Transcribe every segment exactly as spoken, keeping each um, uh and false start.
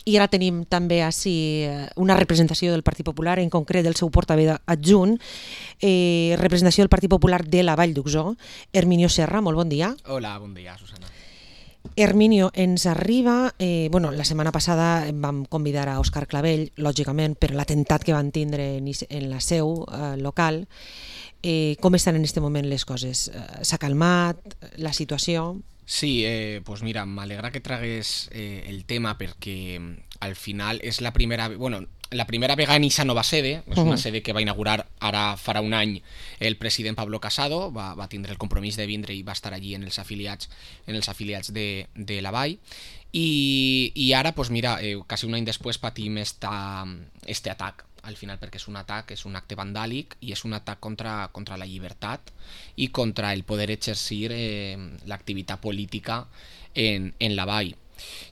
I ara tenim també així una representació del Partit Popular, en concret del seu portaveu adjunt, eh, representació del Partit Popular de la Vall d'Uixó, Herminio Serra, molt bon dia. Hola, bon dia, Susana. Herminio, ens arriba, eh, bueno, la setmana passada vam convidar a Òscar Clavell, lògicament, per l'atemptat que van tindre en la seu eh, local. Eh, com estan en aquest moment les coses? S'ha calmat la situació? Sí, eh, pues mira, m'alegra que tragués eh, el tema perquè al final és la primera... Bueno, la primera vegada en aquesta nova sede, és una sede que va inaugurar ara farà un any el president Pablo Casado, va, va tindre el compromís de vindre i va estar allí en els afiliats, en els afiliats de, de la Vall. I, i ara, pues mira, eh, quasi un any després patim esta, este atac, al final, perquè és un atac, és un acte vandàlic i és un atac contra, contra la llibertat i contra el poder exercir eh, l'activitat política en, en la Vall.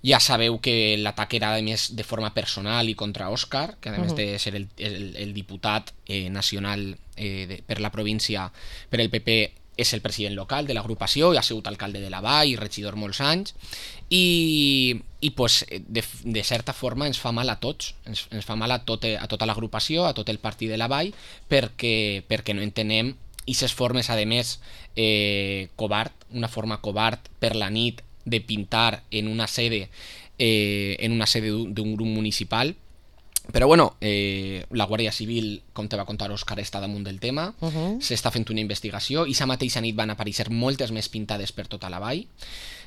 Ja sabeu que l'atac era a més de forma personal i contra Òscar, que a més de ser el, el, el diputat eh, nacional eh, de, per la província per el P P, és el president local de l'agrupació i ha sigut alcalde de la Vall i regidor molts anys, i, i pues, de, de certa forma ens fa mal a tots, ens, ens fa mal a, tot, a tota l'agrupació, a tot el partit de la Vall, perquè, perquè no entenem aquestes formes, a més, eh, covard, una forma covard per la nit de pintar en una sede eh, en una sede d'un grup municipal. Però bueno, eh, la Guàrdia Civil, com te va contar Òscar, està damunt del tema, uh-huh. S'està fent una investigació i sa mateixa nit van aparèixer moltes més pintades per tota la Vall.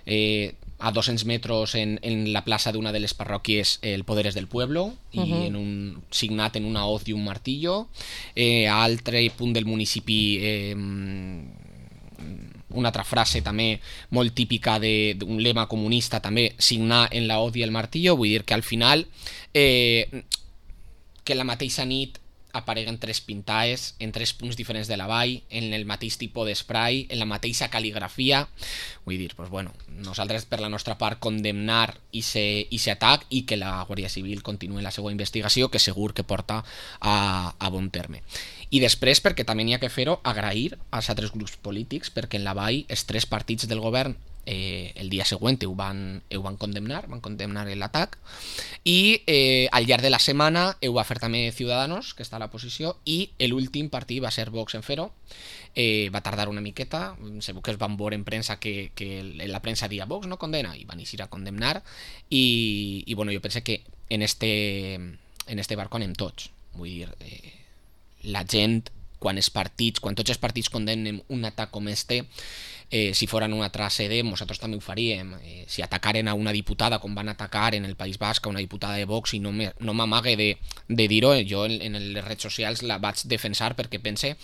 Eh, a dos-cents metres en, en la plaça d'una de les parròquies el Poder és del Pueblo, i uh-huh. en un, signat en una hoz i un martillo. Eh, a altre punt del municipi eh, una altra frase també molt típica d'un lema comunista, també signar en la hoz i el martillo. Vull dir que al final eh, que la mateixa nit apareguen tres pintades en tres punts diferents de la Vall, en el mateix tipus d'esprai, en la mateixa cal·ligrafia. Vull dir, pues bueno, nosaltres per la nostra part condemnar aquest atac i que la Guàrdia Civil continuï la seva investigació, que segur que porta a, a bon terme. I després, perquè també n'hi ha que fer-ho, agrair als altres grups polítics, perquè en la Vall els tres partits del govern Eh, el dia següent ho van, ho van condemnar, van condemnar l'atac, i eh, al llarg de la setmana ho va fer també Ciudadanos, que està a l'oposició, i l'últim partit va ser Vox en fer-ho. Eh, va tardar una miqueta, segur que es van veure en premsa que, que la premsa dia Vox no condena, i van eixir a condemnar, i, i bueno, jo penso que en este, en este barco anem tots. Vull dir, eh, la gent, quan els partits, quan tots els partits condemnen un atac com este, Eh, si foren una altra sede, nosaltres també ho faríem. Eh, si atacaren a una diputada com van atacar en el País Basc a una diputada de Vox, i no m'amague de, de dir-ho, jo en, en les redes socials la vaig defensar perquè pense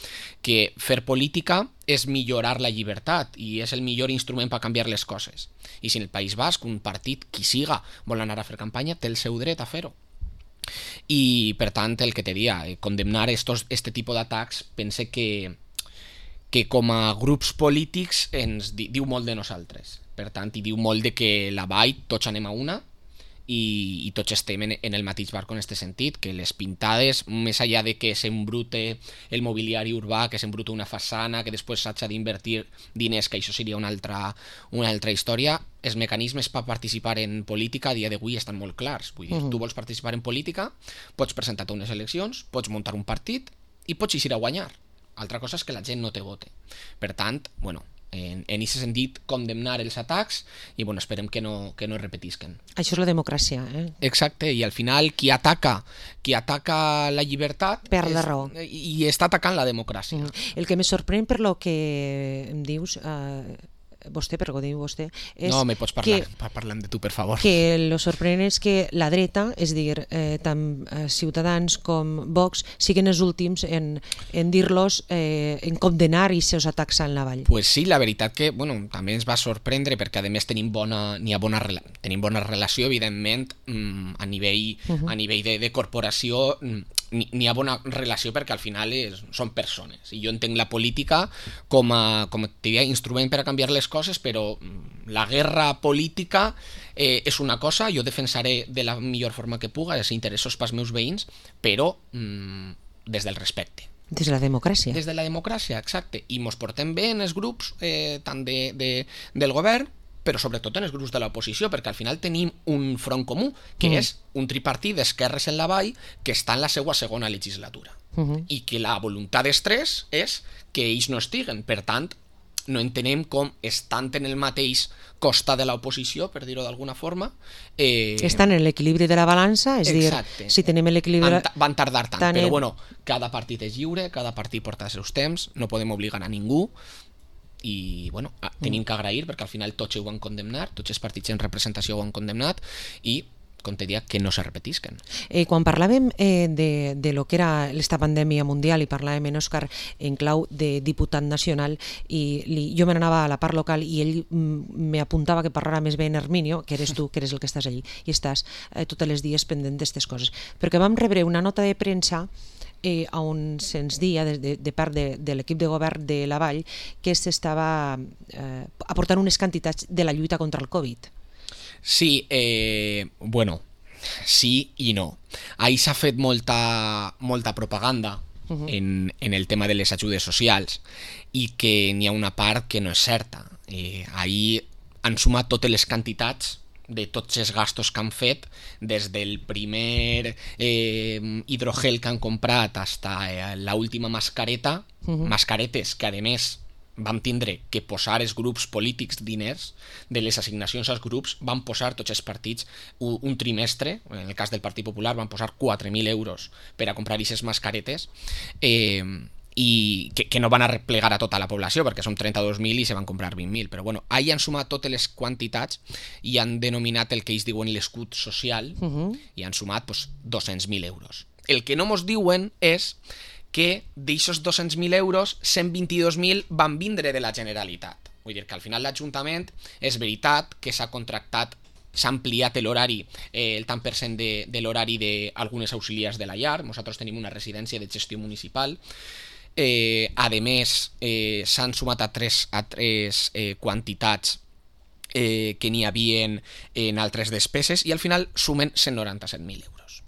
que fer política és millorar la llibertat i és el millor instrument per canviar les coses. I si en el País Basc un partit, qui siga, vol anar a fer campanya, té el seu dret a fer-ho. I per tant, el que te dia, eh, condemnar estos, este tipus d'atacs, pense que que com a grups polítics ens di, diu molt de nosaltres. Per tant, i diu molt de que la Vall tots anem a una i, i tots estem en, en el mateix barco en aquest sentit, que les pintades, més enllà de que s'embrute el mobiliari urbà, que s'embrute una façana, que després s'ha d'invertir diners, que això seria una altra, una altra història, els mecanismes per participar en política a dia d'avui estan molt clars. Vull dir, uh-huh. Tu vols participar en política, pots presentar-te a unes eleccions, pots muntar un partit i pots eixir a guanyar. Altra cosa és que la gent no te vote. Per tant, bueno, en aquest sentit, condemnar els atacs i bueno, esperem que no, que no es repetisquen. Això és la democràcia, eh? Exacte, i al final qui ataca, qui ataca la llibertat perd la raó. I està atacant la democràcia. Mm. El que me sorprèn per lo que em dius... Eh... vostè, per què ho diu vostè, és no, me pots parlar, que, parlem de tu, per favor. Que lo sorprenent és que la dreta, és dir, eh, tant eh, Ciutadans com Vox, siguen els últims en, en dir-los, eh, en condenar i seus atacs en la Vall. Pues sí, la veritat que, bueno, també ens va sorprendre perquè a més tenim bona, n'hi ha bona, tenim bona relació, evidentment, a nivell, uh-huh. a nivell de, de corporació, n'hi ha bona relació perquè al final és, són persones, i jo entenc la política com a, com a diria, instrument per a canviar les coses, però la guerra política eh, és una cosa, jo defensaré de la millor forma que puga els interessos pels meus veïns, però mm, des del respecte. Des de la democràcia. Des de la democràcia, exacte. I mos portem bé en els grups, eh, tant de, de, del govern, però sobretot en els grups de l'oposició, perquè al final tenim un front comú, que mm. és un tripartit d'esquerres en la vall que està en la seva segona legislatura. Uh-huh. I que la voluntat dels tres és que ells no estiguen. Per tant, no entenem com estan en el mateix costat de l'oposició, per dir-ho d'alguna forma. Eh... Estan en l'equilibri de la balança, és Exacte. dir, si tenim l'equilibri... Van, van tardar tant, tant però bueno, cada partit és lliure, cada partit porta els seus temps, no podem obligar a ningú, i bueno, tenim que agrair perquè al final tots ho van condemnar, tots els partits en representació ho han condemnat, i com te dic, que no se repetisquen. Eh, quan parlàvem eh, de, de lo que era esta pandèmia mundial i parlàvem en Òscar en clau de diputat nacional i li, jo me n'anava a la part local i ell m'apuntava que parlara més bé en Herminio, que eres tu, que eres el que estàs allí i estàs eh, tots els dies pendent d'aquestes coses. Perquè vam rebre una nota de premsa eh, on se'ns dia de, de, de part de, de l'equip de govern de la Vall que s'estava eh, aportant unes quantitats de la lluita contra el Covid. Sí, eh, bueno, sí i no. Ahí s'ha fet molta, molta propaganda uh-huh. en, en el tema de les ajudes socials i que n'hi ha una part que no és certa. Eh, ahí han sumat totes les quantitats de tots els gastos que han fet, des del primer eh, hidrogel que han comprat fins eh, l'última mascareta, uh-huh. mascaretes que a més vam tindre que posar els grups polítics diners de les assignacions als grups, van posar tots els partits un, un trimestre, en el cas del Partit Popular van posar quatre mil euros per a comprar aquestes mascaretes, eh, i que, que no van a replegar a tota la població perquè són trenta-dos mil i se van comprar vint mil, però bueno, ahí han sumat totes les quantitats i han denominat el que ells diuen l'escut social uh-huh. i han sumat pues, dos-cents mil euros. El que no mos diuen és que d'aixòs dos-cents mil euros, cent vint-i-dos mil van vindre de la Generalitat. Vull dir que al final l'Ajuntament és veritat que s'ha contractat, s'ha ampliat l'horari, eh, el tant per cent de, de l'horari d'algunes auxiliars de la llar. Nosaltres tenim una residència de gestió municipal. Eh, a més, eh, s'han sumat a tres, a tres eh, quantitats eh, que n'hi havien en altres despeses i al final sumen cent noranta-set mil euros.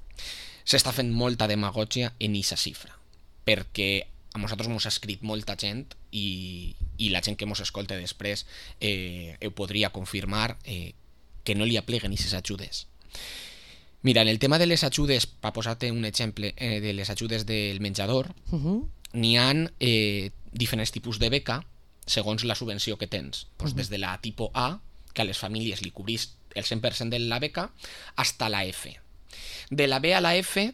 S'està fent molta demagògia en aquesta xifra, perquè a nosaltres ens ha escrit molta gent i, i la gent que ens escolta després eh, ho podria confirmar eh, que no li apleguen aquestes ajudes. Mira, en el tema de les ajudes, per posar-te un exemple eh, de les ajudes del menjador, uh-huh. n'hi ha eh, diferents tipus de beca segons la subvenció que tens. Pues uh-huh. Des de la tipus A, que a les famílies li cobrís el cent per cent de la beca, fins a la F. De la B a la F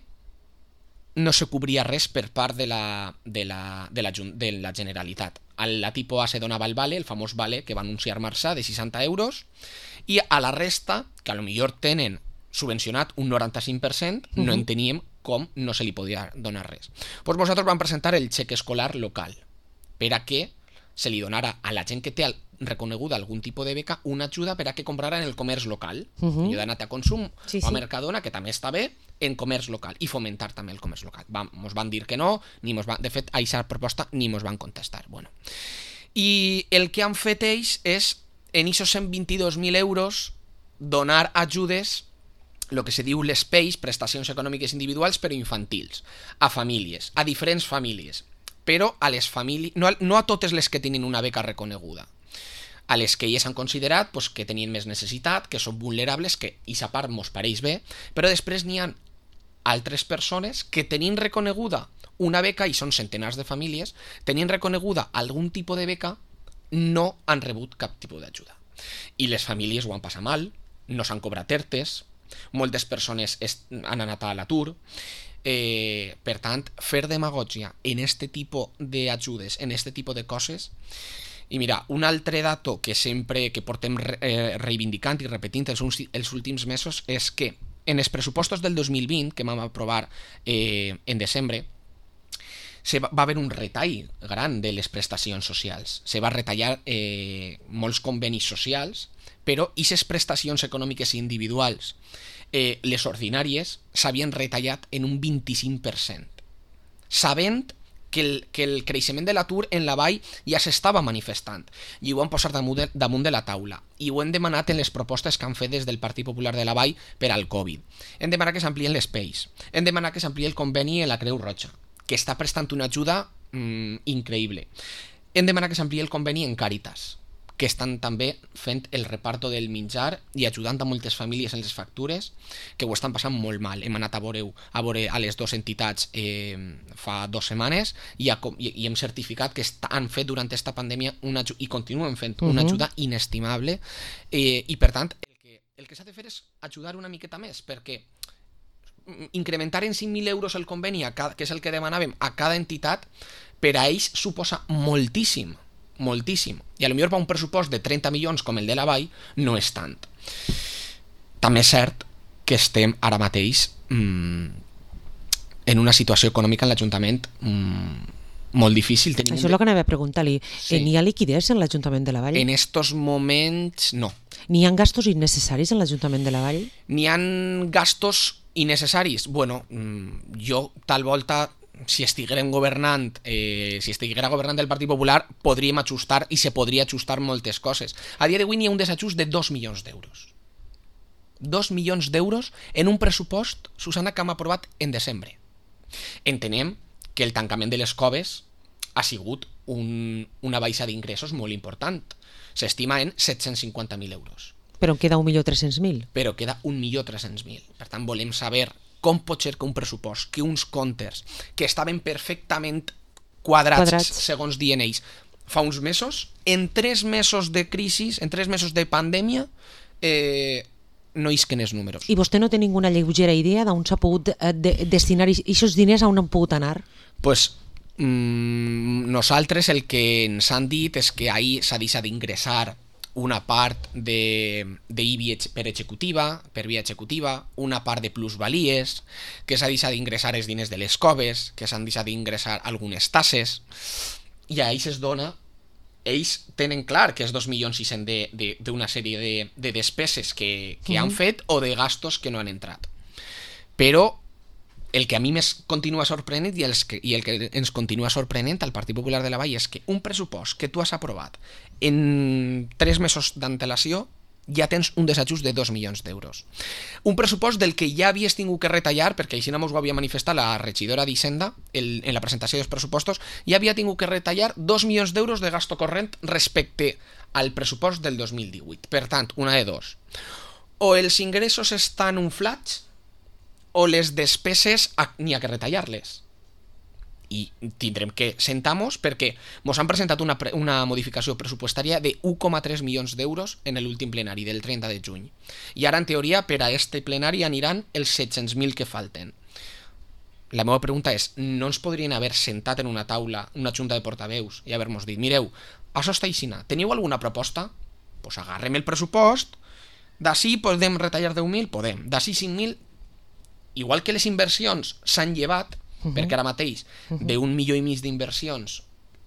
no se cobria res per part de la, de la, de la, de la Generalitat. A la tipus A se donava el vale, el famós vale que va anunciar Marçà, de seixanta euros, i a la resta, que a lo millor tenen subvencionat un noranta-cinc per cent, uh-huh. no enteníem com no se li podia donar res. Pues nosaltres vam presentar el xec escolar local, per a que se li donara a la gent que té reconeguda algun tipus de beca una ajuda per a que comprara en el comerç local, uh-huh. ajudat a consum sí, o a sí. Mercadona, que també està bé, en comerç local, i fomentar també el comerç local. Vam, mos van dir que no, ni mos van, de fet, a aquesta proposta ni mos van contestar. Bueno. I el que han fet ells és, en aquests cent vint-i-dos mil euros, donar ajudes, el que se diu les P E I, prestacions econòmiques individuals, però infantils, a famílies, a diferents famílies, però a les famílies, no a, no a totes les que tenen una beca reconeguda, a les que elles han considerat pues, que tenien més necessitat, que són vulnerables, que aquesta part mos pareix bé, però després n'hi ha altres persones que tenint reconeguda una beca, i són centenars de famílies, tenint reconeguda algun tipus de beca, no han rebut cap tipus d'ajuda. I les famílies ho han passat mal, no s'han cobrat ERTEs, moltes persones han anat a l'atur. Eh, per tant, fer demagògia en este tipus d'ajudes, en este tipus de coses. I mira, un altre dato que sempre que portem eh, reivindicant i repetint els, els últims mesos és que en els pressupostos del dos mil vint, que vam aprovar eh, en desembre, se va, va haver un retall gran de les prestacions socials. Se va retallar eh, molts convenis socials, però aquestes prestacions econòmiques individuals, eh, les ordinàries, s'havien retallat en un vint-i-cinc per cent, sabent que el, que el creixement de l'atur en la vall ja s'estava manifestant, i ho han posat damunt de, damunt de la taula, i ho hem demanat en les propostes que han fet des del Partit Popular de la Vall per al Covid. Hem demanat que s'amplien les P E Is, hem demanat que s'ampliï el conveni en la Creu Roja, que està prestant una ajuda mmm, increïble. Hem demanat que s'ampliï el conveni en Càritas, que estan també fent el reparto del menjar i ajudant a moltes famílies en les factures que ho estan passant molt mal. Hem anat a veure, a, veure a les dues entitats eh, fa dues setmanes i, a, i, i hem certificat que han fet durant aquesta pandèmia una, i continuen fent una ajuda inestimable eh, i per tant el que, el que s'ha de fer és ajudar una miqueta més, perquè incrementar en cinc mil euros el conveni, a cada, que és el que demanàvem a cada entitat, per a ells suposa moltíssim, moltíssim. I a lo millor per un pressupost de trenta milions com el de la Vall no és tant. També és cert que estem ara mateix mmm, en una situació econòmica en l'Ajuntament mmm, molt difícil. Tenim Això és el que anava a preguntar-li. Sí. N'hi ha liquiditat en l'Ajuntament de la Vall? En estos moments, no. N'hi ha gastos innecessaris en l'Ajuntament de la Vall? N'hi ha gastos innecessaris? Bueno, jo tal volta, si estiguérem governant, eh, si estiguera governant el Partit Popular, podríem ajustar i se podria ajustar moltes coses. A dia d'avui n'hi ha un desajust de dos milions d'euros. Dos milions d'euros en un pressupost, Susana, que hem aprovat en desembre. Entenem que el tancament de les coves ha sigut un, una baixa d'ingressos molt important. S'estima en set-cents cinquanta mil euros. Però en queda un milió tres-cents mil. Però queda un milió tres-cents mil. Per tant, volem saber com pot ser que un pressupost, que uns comptes que estaven perfectament quadrats, quadrats. segons diuen ells, fa uns mesos, en tres mesos de crisi, en tres mesos de pandèmia, eh, no isquen els números. I vostè no té ninguna lleugera idea d'on s'ha pogut eh, de, destinar aquests diners, a on han pogut anar? Pues mmm, nosaltres el que ens han dit és que ahir s'ha deixat d'ingressar una part de, de I B I per executiva, per via executiva, una part de plusvalies, que s'ha deixat d'ingressar els diners de les coves, que s'han deixat d'ingressar algunes tasses, i a ells es dona, ells tenen clar que és dos milions sis-cents d'una sèrie de, de despeses que, que mm. han fet o de gastos que no han entrat. Però el que a mi més continua sorprenent i, els que, i el que ens continua sorprenent al Partit Popular de la Vall és que un pressupost que tu has aprovat en tres mesos d'antelació ja tens un desajust de dos milions d'euros. Un pressupost del que ja havies tingut que retallar, perquè així no mos ho havia manifestat la regidora d'Hisenda el, en la presentació dels pressupostos, ja havia tingut que retallar dos milions d'euros de gasto corrent respecte al pressupost del dos mil divuit. Per tant, una de dos. O els ingressos estan unflats o les despeses n'hi ha que retallar-les. I tindrem que sentar-nos perquè ens han presentat una, una modificació pressupostària de un coma tres milions d'euros en l'últim plenari del trenta de juny. I ara, en teoria, per a este plenari aniran els set-cents mil que falten. La meva pregunta és, no ens podrien haver sentat en una taula, una junta de portaveus, i haver-nos dit, mireu, això està aixina, teniu alguna proposta? Doncs pues agarrem el pressupost, d'ací podem retallar deu mil? Podem. D'ací cinc mil? Igual que les inversions s'han llevat, uh-huh. perquè ara mateix uh-huh. d'un milió i mig d'inversions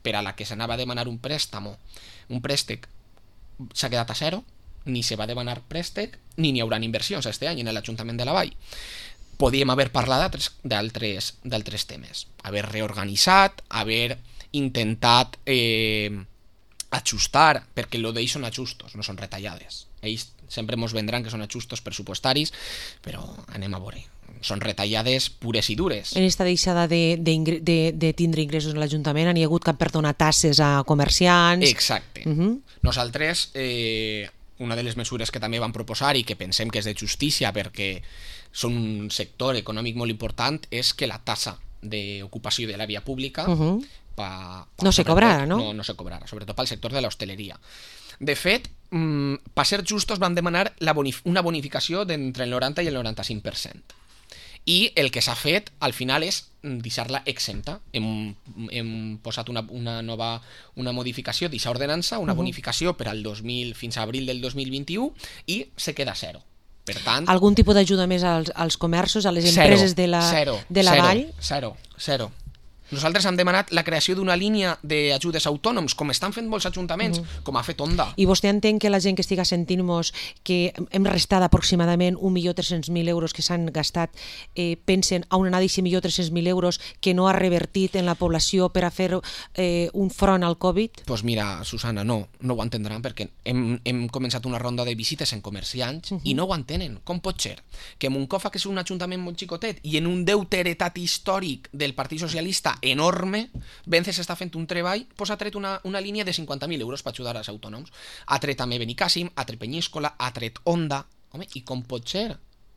per a la que s'anava a demanar un préstamo, un préstec s'ha quedat a zero, ni se va demanar préstec, ni n'hi haurà inversions este any en l'Ajuntament de la Vall. Podíem haver parlat d'altres temes, haver reorganitzat, haver intentat eh, ajustar, perquè el d'ells són ajustos, no són retallades. Ells sempre ens vendran que són ajustos pressupostaris, però anem a veure. Són retallades pures i dures. En aquesta deixada de, de, de, de tindre ingressos en l'Ajuntament n'hi ha hagut que perdonar tasses a comerciants. Exacte. Uh-huh. Nosaltres, eh, una de les mesures que també vam proposar i que pensem que és de justícia perquè són un sector econòmic molt important és que la tassa d'ocupació de la via pública uh-huh. pa, pa, no se cobrarà, no? No, no se cobrarà, sobretot pel sector de l'hostaleria. De fet, mmm, per ser justos vam demanar la bonif- una bonificació d'entre el noranta i el noranta-cinc per cent. I el que s'ha fet al final és deixar-la exempta. Hem, hem posat una, una nova una modificació d'aquesta ordenança, una uh-huh. bonificació per al dos mil fins a abril del dos mil vint-i-u i se queda zero. Per tant, algun tipus d'ajuda més als, als comerços, a les empreses zero, de la, zero, de la zero, Vall? Zero, zero. Nosaltres hem demanat la creació d'una línia d'ajudes autònoms, com estan fent molts ajuntaments, uh-huh. com ha fet Onda. I vostè entén que la gent que estiga sentint-nos que hem restat aproximadament un milió tres-cents mil euros que s'han gastat, eh, pensen a on anar d'aquest milió tres-cents mil euros que no ha revertit en la població per a fer eh, un front al Covid? Doncs pues mira, Susana, no, no ho entendran, perquè hem, hem començat una ronda de visites en comerciants uh-huh. i no ho entenen. Com pot ser que Moncofa, que és un ajuntament molt xicotet, i en un deute heretat històric del Partit Socialista enorme, Vence s'està fent un treball, doncs ha tret una, una línia de cinquanta mil euros per ajudar als autònoms. Ha tret també Benicàssim, ha tret Penyíscola, ha tret Onda. Home, i com pot ser?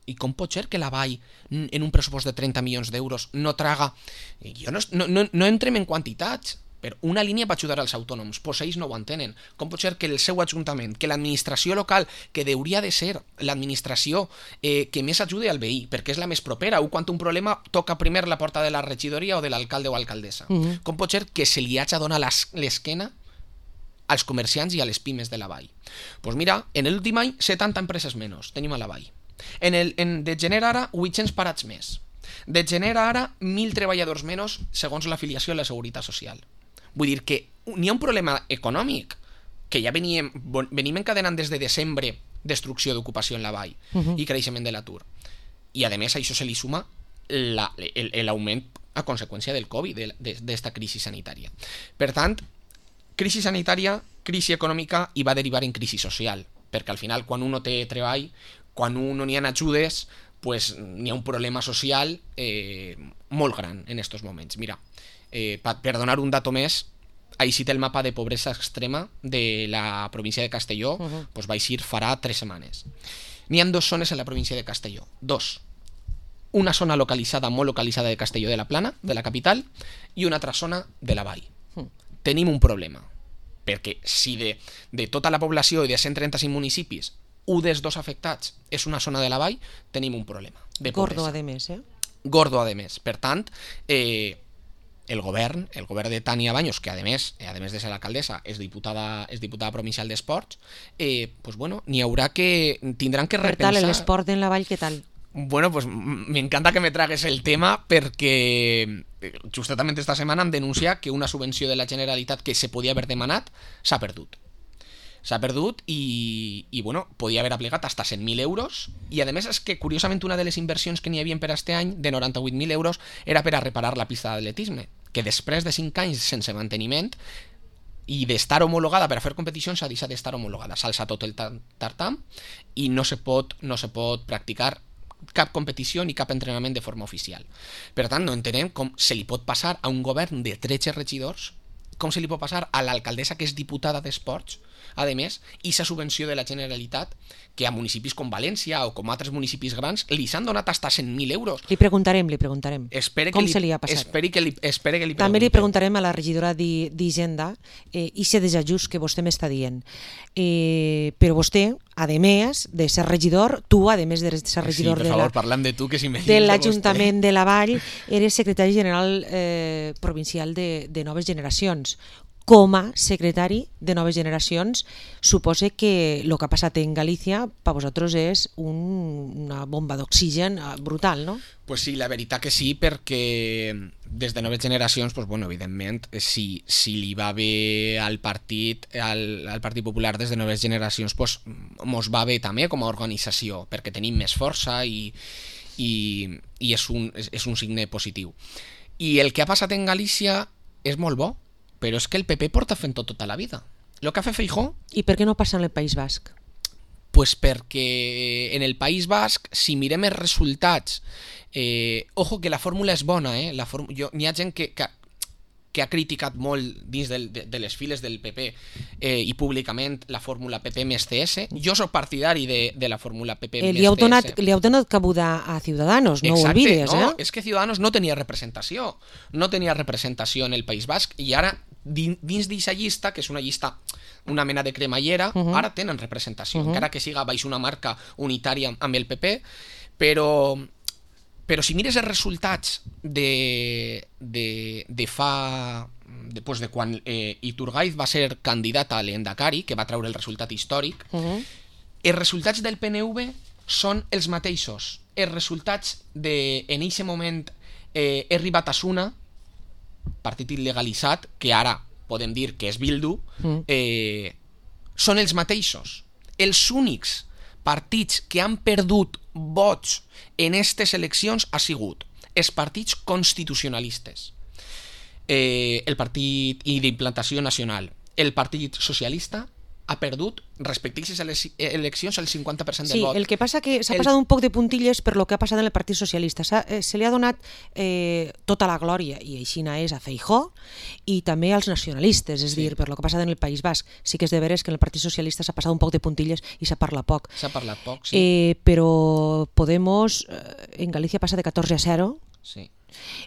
I com pot ser que la Vall, en un pressupost de trenta milions d'euros, no traga... Jo no, no, no entrem en quantitats, però una línia per ajudar als autònoms, doncs ells no ho entenen. Com pot ser que el seu ajuntament, que l'administració local, que hauria de ser l'administració eh, que més ajude al veí, perquè és la més propera, o quan un problema toca primer la porta de la regidoria o de l'alcalde o alcaldessa. Mm-hmm. Com pot ser que se li hagi de donar l'esquena als comerciants i a les pimes de la Vall? Doncs pues mira, en l'últim any, setanta empreses menys tenim a la Vall. En el, en, de gener ara, vuit-cents parats més. De gener ara, mil treballadors menys segons l'afiliació a la Seguretat Social. Vull dir que n'hi ha un problema econòmic que ja veníem, venim encadenant des de desembre, destrucció d'ocupació en la Vall uh-huh. i creixement de l'atur. I a més a això se li suma l'augment a conseqüència del Covid, d'esta crisi sanitària. Per tant, crisi sanitària, crisi econòmica i va derivar en crisi social, perquè al final quan un no té treball, quan un no n'hi ha ajudes, pues n'hi ha un problema social eh, molt gran en aquests moments. Mira, Eh, per donar un dato més, així té el mapa de pobresa extrema de la província de Castelló, uh-huh. pues va eixir farà tres setmanes. N'hi ha dos zones en la província de Castelló, dos. Una zona localitzada, molt localitzada de Castelló de la Plana, de la capital, i una altra zona de la Vall. Uh-huh. Tenim un problema, perquè si de, de tota la població i de cent trenta-cinc municipis, un dels dos afectats és una zona de la Vall, tenim un problema de pobresa. Gordo, a més, eh? Gordo, a més. Per tant, eh, el govern, el govern de Tania Baños, que a més, a més de ser l'alcaldessa, és diputada, és diputada provincial d'Esports, eh, pues bueno, n'hi haurà que, tindran que repensar... Per tal, l'esport en la Vall, què tal? Bueno, pues m'encanta que me tragues el tema perquè justament esta setmana em denuncia que una subvenció de la Generalitat que se podia haver demanat s'ha perdut. S'ha perdut i, i bueno, podia haver aplicat hasta cent mil euros i a més és que curiosament una de les inversions que n'hi havia per este any de noranta-vuit mil euros era per a reparar la pista d'atletisme, que després de cinc anys sense manteniment i d'estar homologada per a fer competicions s'ha deixat d'estar homologada, s'alça tot el tartam i no se pot, no se pot practicar cap competició ni cap entrenament de forma oficial. Per tant, no entenem com se li pot passar a un govern de tretze regidors, com se li pot passar a l'alcaldessa que és diputada d'Esports, a més, i la subvenció de la Generalitat que a municipis com València o com altres municipis grans li s'han donat hasta cent mil euros. Li preguntarem, li preguntarem. Espere com li, se li ha passat. Esperi que li, espere que li També li preguntarem a la regidora d'Hisenda eh, i aquest desajust que vostè m'està dient. Eh, però vostè, a més de ser regidor, tu, a més de ser regidor sí, per de, favor, la, parlem de, tu, que si de l'Ajuntament de la Vall, eres secretari general eh, provincial de, de Noves Generacions. Com a secretari de Noves Generacions, suposa que el que ha passat en Galícia per vosaltres és un, una bomba d'oxigen brutal, no? Pues sí, la veritat que sí, perquè des de Noves Generacions, pues bueno, evidentment, si, si li va bé al partit, al, al Partit Popular des de Noves Generacions, pues mos va bé també com a organització, perquè tenim més força i, i, i és, un, és, és un signe positiu. I el que ha passat en Galícia és molt bo, però és que el P P porta fent tot tota la vida. Lo que ha fet Feijóo... I per què no passa en el País Basc? Pues perquè en el País Basc, si mirem els resultats, eh, ojo que la fórmula és bona, eh? La fórmula, jo, n'hi ha gent que, que, que ha criticat molt dins del, de, de les files del P P eh, i públicament la fórmula P P més C S. Jo soc partidari de, de la fórmula P P eh, més li heu donat, C S. Li heu donat cabuda a Ciudadanos, no Exacte, ho olvides, no, eh? És que Ciudadanos no tenia representació, no tenia representació en el País Basc i ara dins d'aquesta llista, que és una llista, una mena de cremallera, uh-huh. ara tenen representació, uh-huh. encara que siga baix una marca unitària amb el P P, però, però si mires els resultats de, de, de fa... Després de quan eh, Iturgaiz va ser candidat a l'Endacari, que va treure el resultat històric, uh-huh. els resultats del P N V són els mateixos. Els resultats de, en aquest moment, eh, Herri Batasuna, partit il·legalitzat, que ara podem dir que és Bildu, eh, són els mateixos. Els únics partits que han perdut vots en aquestes eleccions ha sigut els partits constitucionalistes, eh, el partit i d'implantació nacional, el Partit Socialista ha perdut respecte a aquestes eleccions el cinquanta per cent del sí, vot. Sí, el que passa que s'ha el... passat un poc de puntilles per lo que ha passat en el Partit Socialista. Eh, se li ha donat eh, tota la glòria, i així és a Feijóo, i també als nacionalistes, és sí. dir, per lo que ha passat en el País Basc. Sí que és de veres que en el Partit Socialista s'ha passat un poc de puntilles i s'ha parlat poc. S'ha parlat poc, sí. Eh, però Podemos eh, en Galícia passa de catorze a zero sí.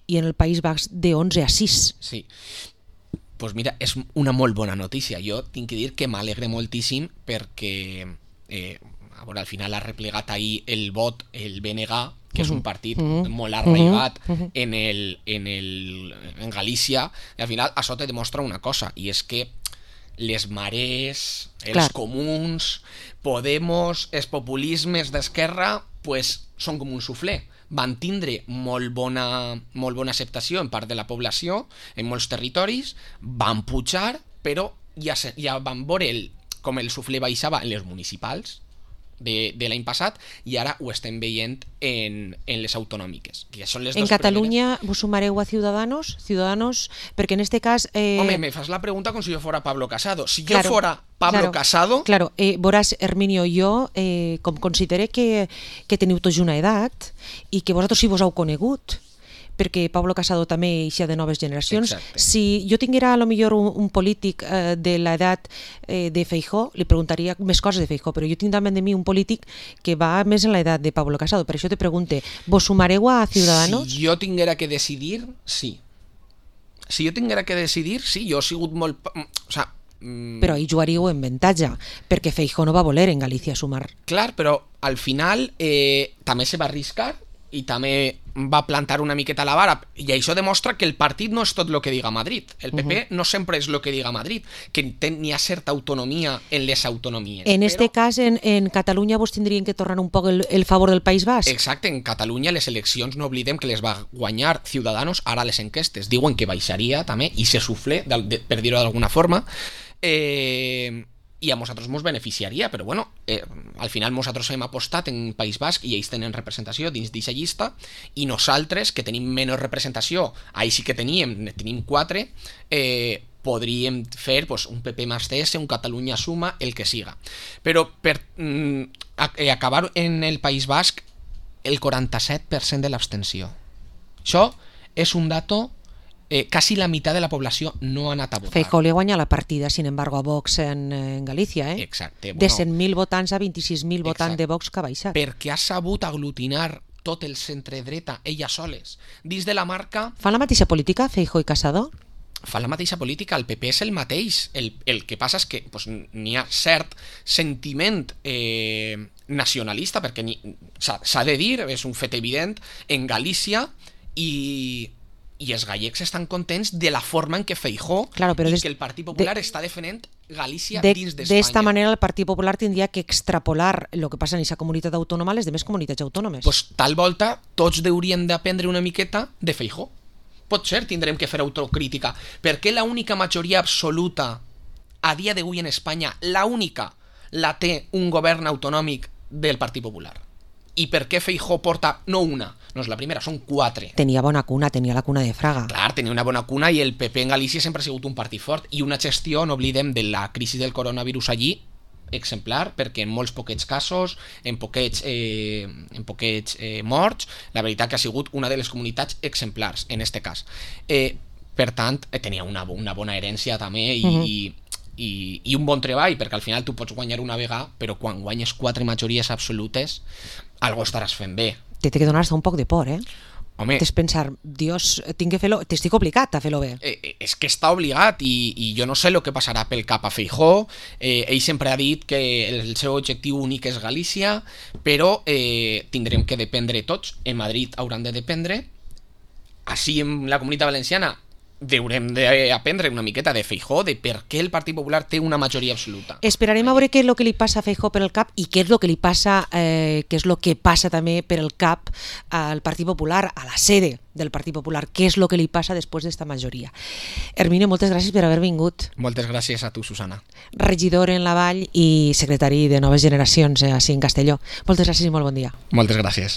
i en el País Basc de onze a sis. Sí. Pues mira, és una molt bona notícia. Jo tinc que dir que m'alegre moltíssim perquè eh, a veure, al final ha replegat ahir el vot, el B N G, que és un partit uh-huh. molt arraigat uh-huh. en, el, en, el, en Galícia, i al final això te demostra una cosa, i és que les marees, els Clar. comuns, Podemos, els populismes d'esquerra, pues, són com un suflé. Van tindre molt bona, molt bona acceptació en part de la població, en molts territoris, van pujar, però ja, se, ja van veure el, com el suflé baixava en les municipals de, de l'any passat, i ara ho estem veient en, en les autonòmiques. Que són les en dos Catalunya primeres. vos sumareu a Ciudadanos? Ciudadanos, perquè en este cas... Eh... Home, me fas la pregunta com si jo fora Pablo Casado. Si claro, jo fora Pablo claro, Casado... Claro, eh, veuràs, Herminio, jo, eh, com considere que, que teniu tots una edat i que vosaltres sí vos heu conegut, perquè Pablo Casado també eixa de noves generacions. Exacte. Si jo tinguera a lo millor un, un polític eh, de l'edat eh, de Feijóo, li preguntaria més coses de Feijóo, però jo tinc davant de mi un polític que va més en l'edat de Pablo Casado. Per això te pregunte, vos sumareu a Ciudadanos? Si jo tinguera que decidir, sí. Si jo tinguera que decidir, sí, jo he sigut molt... O sea, mm... Però ahí jugaríeu en avantatge, perquè Feijóo no va voler en Galícia sumar. Clar, però al final eh, també se va arriscar i també va plantar una miqueta la vara, i això demostra que el partit no és tot el que diga Madrid. El P P uh-huh. no sempre és el que diga Madrid, que n'hi ha certa autonomia en les autonomies. En però... este cas, en, en Catalunya vos tindrien que tornar un poc el, el favor del País Basc? Exacte, en Catalunya les eleccions no oblidem que les va guanyar Ciudadanos, ara les enquestes diuen que baixaria també, i se suflé, per dir-ho d'alguna forma, eh... i a nosaltres ens beneficiaria, però bueno, eh, al final nosaltres hem apostat en País Basc i ells tenen representació dins d'aquesta llista, i nosaltres, que tenim menys representació, ahí sí que teníem, tenim quatre, eh, podríem fer pues, un P P más C S, un Catalunya Suma, el que siga. Però per mm, acabar en el País Basc, el quaranta-set per cent de l'abstenció. Això és un dato... Eh, casi la mitad de la població no ha anat a votar. Feijóo li guanya la partida, sin embargo, a Vox en, en Galícia, eh? Exacte. Bueno, de cent mil votants a vint-i-sis mil votants de Vox que ha baixat. Perquè ha sabut aglutinar tot el centre-dreta, elles soles. Dins de la marca... Fan la mateixa política, Feijóo i Casado? Fan la mateixa política, el P P és el mateix. El, el que passa és que pues, n'hi ha cert sentiment eh, nacionalista, perquè s'ha de dir, és un fet evident, en Galícia, i... i els gallecs estan contents de la forma en què Feijóo claro, i des, que el Partit Popular de, està defendent Galícia de, dins d'Espanya. D'esta manera el Partit Popular tindria que extrapolar el que passa en aquesta comunitat autònoma a les demés comunitats autònomes. Pues, tal volta tots hauríem d'aprendre una miqueta de Feijóo. Pot ser, tindrem que fer autocrítica. Per què la única majoria absoluta a dia d'avui en Espanya, la única, la té un govern autonòmic del Partit Popular? I per què Feijóo porta, no una, no és la primera, són quatre. Tenia bona cuna, tenia la cuna de Fraga. Clar, tenia una bona cuna, i el P P en Galícia sempre ha sigut un partit fort, i una gestió, no oblidem, de la crisi del coronavirus allí, exemplar, perquè en molts poquets casos, en poquets, eh, en poquets eh, morts, la veritat que ha sigut una de les comunitats exemplars, en este cas. Eh, per tant, eh, tenia una, una bona herència també, i... Uh-huh. i I, i un bon treball, perquè al final tu pots guanyar una vegada, però quan guanyes quatre majories absolutes algo estaràs fent bé. Te té que donar un poc de por, eh? Home, t'és pensar, Dios, tinc que fer-lo, t'estic obligat a fer-lo bé. Eh, és que està obligat, i, i jo no sé el que passarà pel cap a Feijóo. Eh, ell sempre ha dit que el seu objectiu únic és Galícia, però eh, tindrem que dependre tots. En Madrid hauran de dependre. Així en la Comunitat Valenciana haurem d'aprendre una miqueta de Feijóo, de per què el Partit Popular té una majoria absoluta. Esperarem a veure què és el que li passa a Feijóo per el cap i què és el que li passa, eh, què és el que passa també per el cap al Partit Popular, a la sede del Partit Popular, què és el que li passa després d'esta majoria. Herminio, moltes gràcies per haver vingut. Moltes gràcies a tu, Susana. Regidor en la Vall i secretari de Noves Generacions, eh, així en Castelló. Moltes gràcies i molt bon dia. Moltes gràcies.